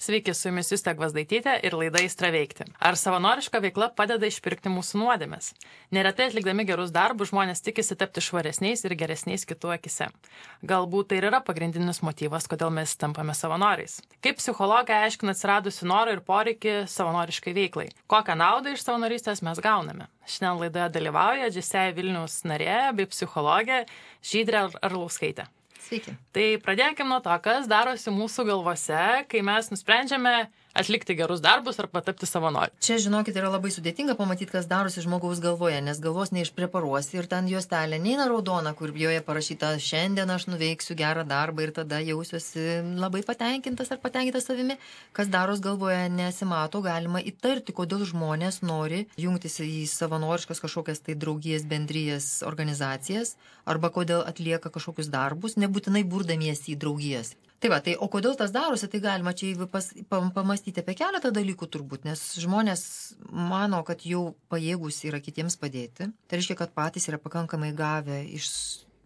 Sveiki, su jumis Justė Gvazdaitytė ir laida Aistra veikti. Ar savanoriška veikla padeda išpirkti mūsų nuodėmes? Neretai atlikdami gerus darbus žmonės tikisi tapti švaresniais ir geresniais kitų akise. Galbūt tai ir yra pagrindinis motyvas, kodėl mes tampame savanoriais. Kaip psichologai aiškina atsiradusi norą ir poreikį savanoriškai veiklai? Kokią naudą iš savanorystės mes gauname? Šiandien laidoje dalyvauja Džesėja Vilniaus narė bei psichologė Žydrė Arlauskaitė. Sveiki. Tai pradėkime nuo to, kas darosi mūsų galvose, kai mes nusprendžiame atlikti gerus darbus ar patapti savanoriu. Čia, žinokit, yra labai sudėtinga pamatyti, kas darosi žmogaus galvoje, nes galvos neišpreparuosi ir ten juostelė neina raudona, kur joje parašyta šiandien aš nuveiksiu gerą darbą ir tada jausiuosi labai patenkintas ar patenkintas savimi. Kas daros galvoje nesimato, galima įtarti, kodėl žmonės nori jungtis į savanoriškas kažkokias tai draugijas, bendrijas, organizacijas arba kodėl atlieka kažkokius darbus, nebūtinai burdamiesi į draugijas. Tai va, o kodėl tas darosi, tai galima čia pamastyti apie keletą dalykų turbūt, nes žmonės mano, kad jau pajėgus yra kitiems padėti. Tai reiškia, kad patys yra pakankamai gavę iš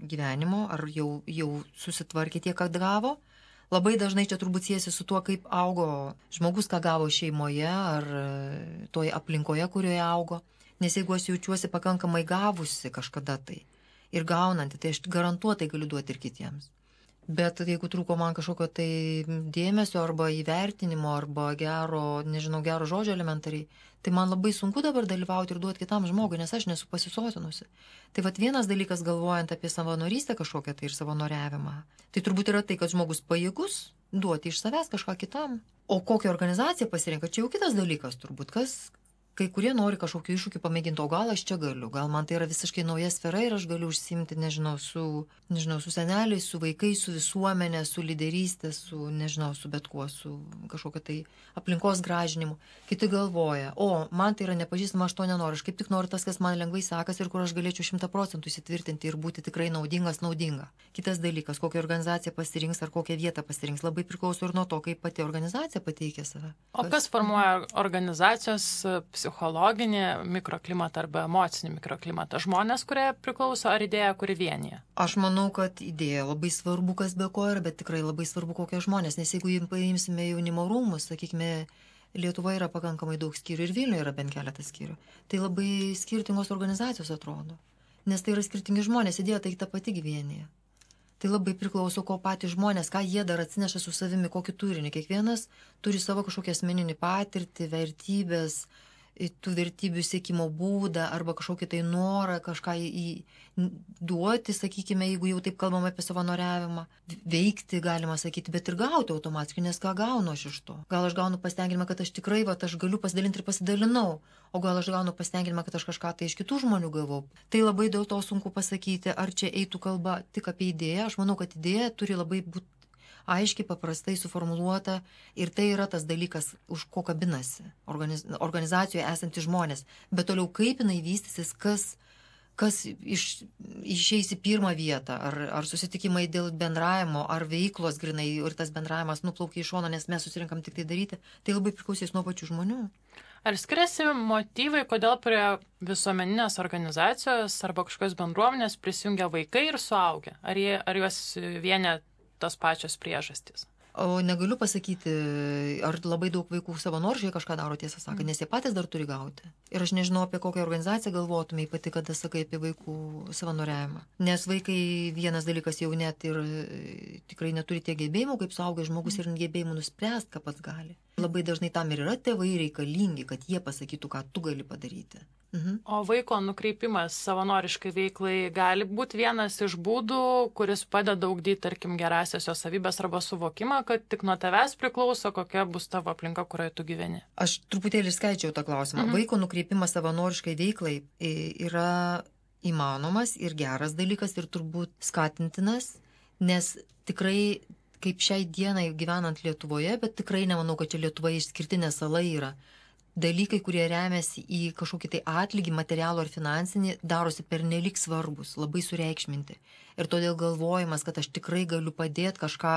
gyvenimo, ar jau susitvarkė tiek, kad gavo. Labai dažnai čia turbūt siejasi su tuo, kaip augo žmogus, ką gavo šeimoje ar toje aplinkoje, kurioje augo. Nes jeigu aš jaučiuosi pakankamai gavusi kažkada tai ir gaunanti, tai aš garantuotai galiu duoti ir kitiems. Bet jeigu trūko man kažkokio tai dėmesio arba įvertinimo arba gero žodžio elementariai, tai man labai sunku dabar dalyvauti ir duoti kitam žmogui, nes aš nesu pasisotinusi. Tai vat vienas dalykas galvojant apie savanorystę kažkokią tai ir savanoriavimą, tai turbūt yra tai, kad žmogus pajėgus duoti iš savęs kažką kitam. O kokią organizaciją pasirenka, čia jau kitas dalykas turbūt, kai kurie nori kažkokiu iššūkiu pamėginti, o gal aš čia galiu, gal man tai yra visiškai nauja sfera ir aš galiu užsiimti, su seneliais, su vaikais, su visuomenė, su lyderystė, su bet kuo, su kažkokia tai aplinkos gražinimu. Kiti galvoja, man tai yra nepažįstama, aš to nenoriu, aš kaip tik noriu tas, kas man lengvai sekasi ir kur aš galėčiau 100% įsitvirtinti ir būti tikrai naudinga. Kitas dalykas, kokią organizaciją pasirinks ar kokią vietą pasirinks, labai priklauso ir nuo to, kaip pati organizacija pateikia save. O kas formuoja organizacijos psichologinį mikroklimatą arba emocinį mikroklimatą? Žmonės, kurie priklauso, ar idėja, kuri vienyje? Aš manau, kad idėja labai svarbu, kas be ko yra, bet tikrai labai svarbu, kokie žmonės. Nes jeigu paimsime jaunimo rūmus, sakykime, Lietuvoje yra pakankamai daug skyrių ir Vilniuje yra bent keletas skyrių. Tai labai skirtingos organizacijos atrodo. Nes tai yra skirtingi žmonės, idėja tai ta pati vienyje. Tai labai priklauso, ko patys žmonės, ką jie dar atsineša su savimi, kokį turinį. Kiekvienas turi savo kažkokią asmeninį patirtį, vertybės, tų vertybių siekimo būdą arba kažkokį tai norą kažką duoti, sakykime, jeigu jau taip kalbam apie savanoriavimą, veikti galima sakyti, bet ir gauti automatiškai, nes ką gaunu aš iš to? Gal aš gaunu pasitenkinimą, kad aš tikrai, aš galiu pasidalinti ir pasidalinau, o gal aš gaunu pasitenkinimą, kad aš kažką tai iš kitų žmonių gavau. Tai labai dėl to sunku pasakyti, ar čia eitų kalba tik apie idėją. Aš manau, kad idėja turi labai būti aiškiai, paprastai suformuluota ir tai yra tas dalykas, už ko kabinasi organizacijoje esantys žmonės. Bet toliau kaip jinai vystysis, kas išeis į pirmą vietą, ar susitikimai dėl bendravimo, ar veiklos grinai ir tas bendravimas nuplaukia iš šono, nes mes susirinkam tik tai daryti, tai labai priklausys nuo pačių žmonių. Ar skiriasi motyvai, kodėl prie visuomeninės organizacijos arba kažkokios bendruomenės prisijungia vaikai ir suaugę? Ar juos vienė tos pačios priežastys? O negaliu pasakyti, ar labai daug vaikų savanoriškai kažką daro, tiesą sakant, nes jie patys dar turi gauti. Ir aš nežinau, apie kokią organizaciją galvotumai pati, kada sakai apie vaikų savanoriavimą. Nes vaikai vienas dalykas jau net ir tikrai neturi tiek gebėjimų, kaip suaugęs žmogus ir gebėjimų nuspręsti, ką pats gali. Labai dažnai tam ir yra tėvai reikalingi, kad jie pasakytų, ką tu gali padaryti. O vaiko nukreipimas savanoriškai veiklai gali būti vienas iš būdų, kuris padeda ugdyti, tarkim, gerąsias jo savybės arba suvokimą, kad tik nuo tavęs priklauso, kokia bus tavo aplinka, kurioje tu gyveni. Aš truputėlį skaičiau tą klausimą. Vaiko nukreipimas savanoriškai veiklai yra įmanomas ir geras dalykas ir turbūt skatintinas, nes tikrai, kaip šiai dienai gyvenant Lietuvoje, bet tikrai nemanau, kad čia Lietuvoje išskirtinė sala yra. Dalykai, kurie remiasi į kažkokį tai atlygį, materialų ar finansinį, darosi pernelyg svarbus, labai sureikšminti. Ir todėl galvojimas, kad aš tikrai galiu padėti kažką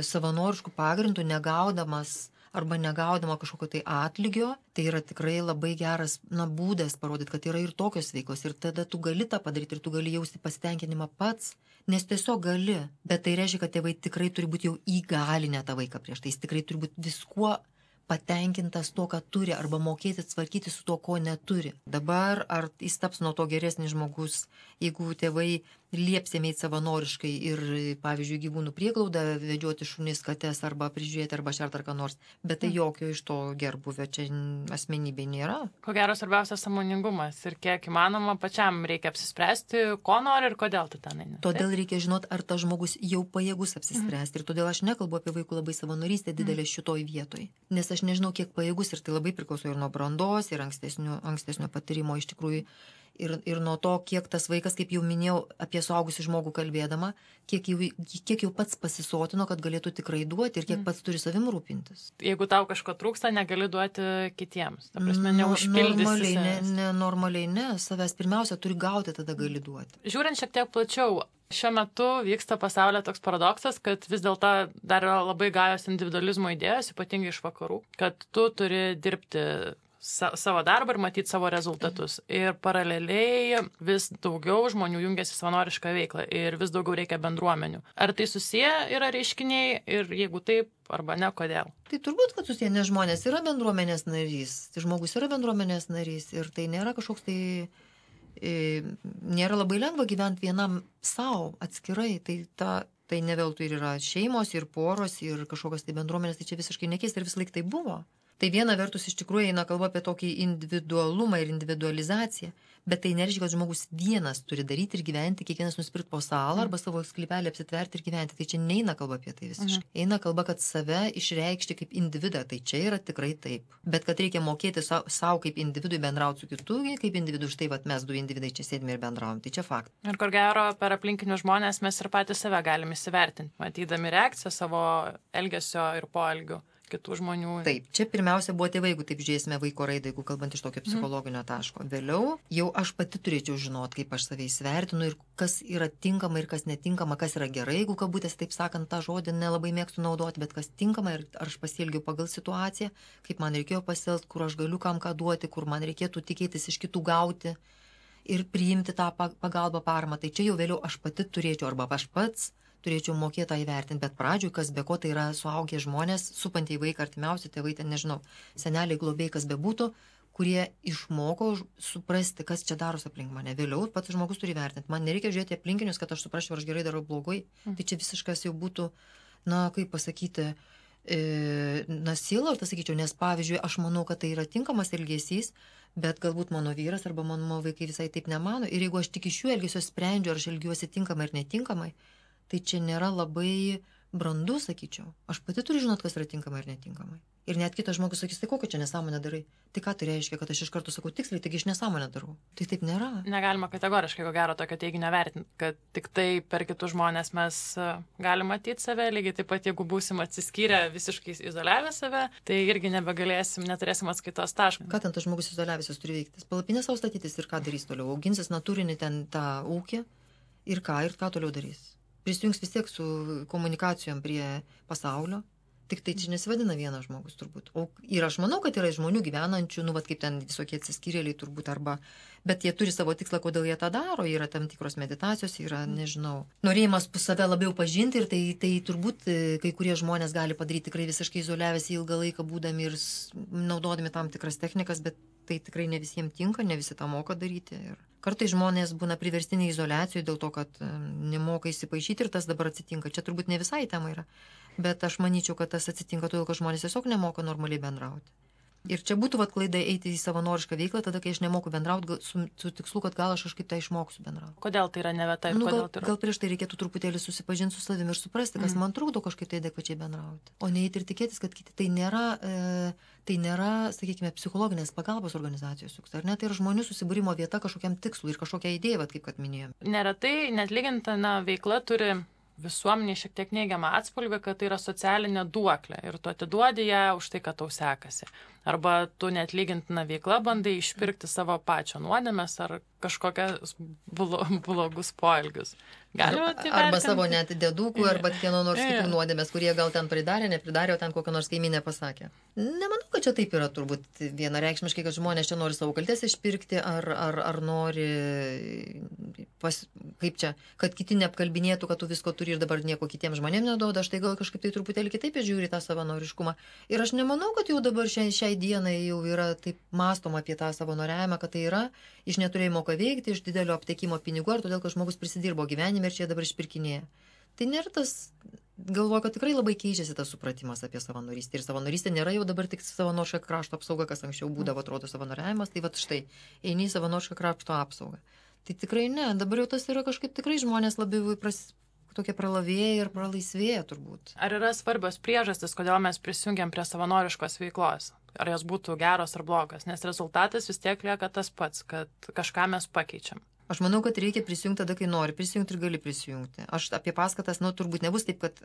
savanoriškų pagrindų, negaudamas arba negaudama kažkokio tai atlygio, tai yra tikrai labai geras būdas parodyti, kad yra ir tokios veiklos. Ir tada tu gali tą padaryti ir tu gali jausti pasitenkinimą pats, nes tiesiog gali. Bet tai reiškia, kad tėvai tikrai turi būti jau įgalinę tą vaiką prieš tai. Jis tikrai turi būti viskuo patenkintas to, ką turi, arba mokėti tvarkyti su to, ko neturi. Dabar ar jis taps nuo to geresnis žmogus, jeigu tėvai lieps jam eiti savanoriškai ir, pavyzdžiui, gyvūnų prieglaudą vedžioti šunis, kates arba prižiūrėti arba šert ar ką nors. Bet tai jokio iš to gerbuvio čia asmenybė nėra. Ko gero svarbiausias sąmoningumas ir kiek įmanoma pačiam reikia apsispręsti, ko nori ir kodėl tu ten eini. Todėl reikia žinoti, ar tas žmogus jau pajėgus apsispręsti. Ir todėl aš nekalbu apie vaikų labai savanorystę didelę šitoj vietoj. Nes aš nežinau, kiek pajėgus ir tai labai priklauso ir nuo brandos, ir ankstesnio patyrimo iš tikrųjų. Ir nuo to, kiek tas vaikas, kaip jau minėjau, apie suaugusį žmogų kalbėdama, kiek jau pats pasisotino, kad galėtų tikrai duoti ir kiek pats turi savim rūpintis. Jeigu tau kažko trūksta, negali duoti kitiems. Ta prasme, neužpildysi. Normaliai ne. Savęs pirmiausia turi gauti, tada gali duoti. Žiūrint šiek tiek plačiau, šiuo metu vyksta pasaulyje toks paradoksas, kad vis dėlto dar yra labai gajos individualizmo idėjos, ypatingai iš vakarų, kad tu turi dirbti savo darbą ir matyti savo rezultatus. Ir paraleliai vis daugiau žmonių jungiasi savanorišką veiklą ir vis daugiau reikia bendruomenių. Ar tai susiję yra reiškiniai ir jeigu taip, arba ne, kodėl? Tai turbūt, kad susiję, nes žmonės yra bendruomenės narys. Tai žmogus yra bendruomenės narys ir tai nėra kažkoks tai... Nėra labai lengva gyventi vienam savo atskirai. Tai ne veltui ir yra šeimos, ir poros, ir kažkokios tai bendruomenės, tai čia visiškai nekeista ir vis laik tai buvo. Tai viena vertus iš tikrųjų eina kalba apie tokį individualumą ir individualizaciją, bet tai nereiškia, kad žmogus vienas turi daryti ir gyventi, kiekvienas nusipirkti po salą arba savo sklypelį apsitverti ir gyventi. Tai čia neina kalba apie tai visiškai. Eina kalba, kad save išreikšti kaip individą, tai čia yra tikrai taip. Bet kad reikia mokėti savo kaip individui bendrauti su kitu, kaip individu, štai vat, mes du individai čia sėdime ir bendraujam, tai čia faktas. Ir kur gero per aplinkinius žmonės mes ir patys save galime įsivertinti, matydami reakciją savo elgesio ir poelgių kitų žmonių. Taip, čia pirmiausia buvo tėvai, jeigu taip žiūrėsime vaiko raidą, jeigu kalbant iš tokio psichologinio taško. Vėliau jau aš pati turėčiau žinoti, kaip aš save įsivertinu ir kas yra tinkama ir kas netinkama, kas yra gerai, jeigu kabutės, taip sakant, tą žodį nelabai mėgstu naudoti, bet kas tinkama ir ar aš pasielgiu pagal situaciją, kaip man reikėjo pasielgti, kur aš galiu kam ką duoti, kur man reikėtų tikėtis iš kitų gauti ir priimti tą pagalbą, paramą. Tai čia jau vėliau aš pati turėčiau arba aš pats turėčiau mokėti tą įvertinti, bet pradžioj, kas be ko, tai yra suaugę žmonės, supantieji vaiką, artimiausi tėvai, ten nežinau, seneliai, globėjai, kas bebūtų, kurie išmoko suprasti, kas čia darosi aplink mane. Vėliau pats žmogus turi vertinti. Man nereikia žiūrėti aplinkinius, kad aš suprasčiau, ar aš gerai darau blogai. Tai čia visiškas jau būtų, kaip pasakyti, sielvartas, sakyčiau, nes pavyzdžiui, aš manau, kad tai yra tinkamas elgesys, bet galbūt mano vyras arba mano vaikai visai taip nemano. Ir jeigu aš tik iš jų elgesio sprendžiu, ar aš elgiuosi tinkamai ar netinkamai, tai čia nėra labai brandu, sakyčiau. Aš pati turiu žinot, kas yra tinkamai ir netinkamai. Ir net kitas žmogus sakys, tai kokią čia nesąmonę darai? Tai ką tai reiškia, kad aš iš karto sakau tiksliai, taigi aš nesąmonę darau. Tai taip nėra. Negalima kategoriškai, ko gero, tokio teiginio vertinti, kad tik tai per kitus žmonės mes galim matyti save, lygiai taip pat, jeigu būsim atsiskyrę, visiškai izoliavę save, tai irgi neturėsim atskaitos taško. Ką ten tas žmogus izoliavęs turi veikti? Palapinę savo statytis ir ką darys toliau? Auginsis natūrinį ten tą ūkį ir ką toliau darys? Prisijungs vis tiek su komunikacijom prie pasaulio. Tik tai čia nesivadina vienas žmogus turbūt. Ir aš manau, kad yra žmonių gyvenančių, kaip ten visokie atsiskyrėliai turbūt, bet jie turi savo tikslą, kodėl jie tą daro. Yra tam tikros meditacijos, yra, nežinau, norėjimas save labiau pažinti ir tai turbūt kai kurie žmonės gali padaryti tikrai visiškai izoliavęsi ilgą laiką būdami ir naudodami tam tikras technikas, bet tai tikrai ne visiems tinka, ne visi tą moka daryti. Ir kartais žmonės būna priverstiniai izoliacijoje dėl to, kad nemoka įsipaišyti ir tas dabar atsitinka. Čia turbūt ne visai tema yra, bet aš manyčiau, kad tas atsitinka todėl, kad žmonės tiesiog nemoka normaliai bendrauti. Ir čia būtų klaida eiti į savanorišką veiklą, tada, kai aš nemoku bendrauti, su tikslu, kad gal aš kažkaip tai išmoksiu bendrauti. Kodėl tai yra ne vieta ir kodėl tai yra? Gal prieš tai reikėtų truputėlį susipažinti su savimi ir suprasti, kas man trukdo kažkaip tai adekvačiai bendrauti. O neįti ir tikėtis, kad kiti tai nėra, sakykime, psichologinės pagalbos organizacijos, ar ne, tai yra žmonių susibūrimo vieta kažkokiam tikslui ir kažkokia idėja, kaip kad minėjome. Neretai net lygintina veikla turi visuomeniai šiek tiek neigiamą atspalvį, kad tai yra socialinė duoklė ir tu atiduodi ją už tai, kad tau sekasi. Arba tu neatlygintiną veiklą bandai išpirkti savo pačio nuodėmes ar kažkokias blogus poelgius. Arba savo net dėdukų, arba kieno nors kitų nuodėmės, kurie gal ten nepridarė, o ten kokią nors kaiminę pasakė. Nemanau, kad čia taip yra turbūt vienareikšmiškai, kad žmonės čia nori savo kaltės išpirkti, ar nori, kad kiti neapkalbinėtų, kad tu visko turi ir dabar nieko kitiems žmonėms neduoda. Aš tai gal kažkaip tai truputėlį kitaip žiūri tą savanoriškumą. Ir aš nemanau, kad jau dabar šiai dienai jau yra taip mąstoma apie tą savanoriavimą, kad tai yra iš neturėjimo ką veikti, iš didelio aptekimo pinigų, ar todėl, kad žmogus prisidirbo gyvenime ir čia dabar išpirkinėja. Tai nėra tas, galvoju, kad tikrai labai keičiasi tas supratimas apie savanorystę. Ir savanorystė nėra jau dabar tik savanoriška krašto apsauga, kas anksčiau būdavo, atrodo, savanoriavimas. Tai va štai, eini į savanorišką krašto apsaugą. Tai tikrai ne, dabar jau tas yra kažkaip tikrai žmonės labiau tokie pralavėja ir pralaisvėja turbūt. Ar yra svarbios priežastis, kodėl mes prisijungiam prie savanoriškos veiklos? Ar jos būtų geros ar blogos? Nes rezultatas vis tiek lieka tas pats, kad kažką mes pakeičiam. Aš manau, kad reikia prisijungti tada, kai nori prisijungti ir gali prisijungti. Aš apie paskatas, turbūt nebus taip, kad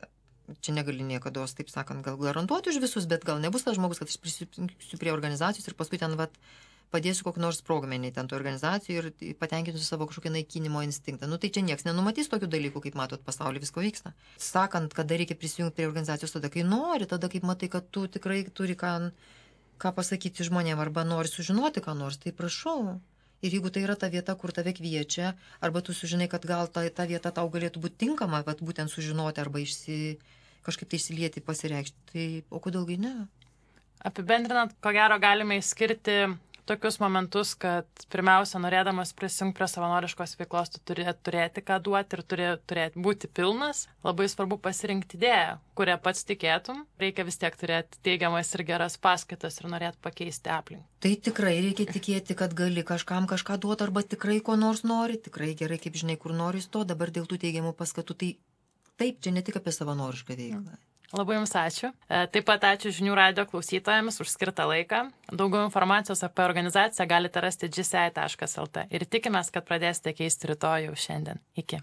čia negali niekados, taip sakant, gal garantuoti už visus, bet gal nebus tas žmogus, kad aš prisijungsiu prie organizacijos ir paskui ten padėsiu kokį nors sprogmenį ten tų organizacijų ir patenkinsiu savo kažkokį naikinimo instinktą. Tai čia nieks nenumatys tokių dalykų, kaip matot, pasaulyje visko vyksta. Sakant, kada reikia prisijungti prie organizacijos, tada kai nori, tada kaip matai, kad tu tikrai turi ką pasakyti žmonėm arba nori sužinoti ką nors, tai prašau. Ir jeigu tai yra ta vieta, kur tave kviečia, arba tu sužinai, kad gal ta vieta tau galėtų būti tinkama, būtent sužinoti arba kažkaip tai įsilieti, pasireikšti, tai o kodėlgi ne? Apibendrinant, ko gero galime išskirti tokius momentus, kad pirmiausia, norėdamas prisijungti prie savanoriškos veiklos, tu turi turėti ką duoti ir turi būti pilnas. Labai svarbu pasirinkti idėją, kurią pats tikėtum. Reikia vis tiek turėti teigiamas ir geras paskaitas ir norėti pakeisti aplinką. Tai tikrai reikia tikėti, kad gali kažkam kažką duoti arba tikrai ko nors nori. Tikrai gerai, kaip žinai, kur nori to. Dabar dėl tų teigiamų paskatų. Tai taip, čia ne tik apie savanorišką veiklą. Labai Jums ačiū. Taip pat ačiū Žinių radijo klausytojams už skirtą laiką. Daugiau informacijos apie organizaciją galite rasti gci.lt ir tikimės, kad pradėsite keisti rytoj jau šiandien. Iki.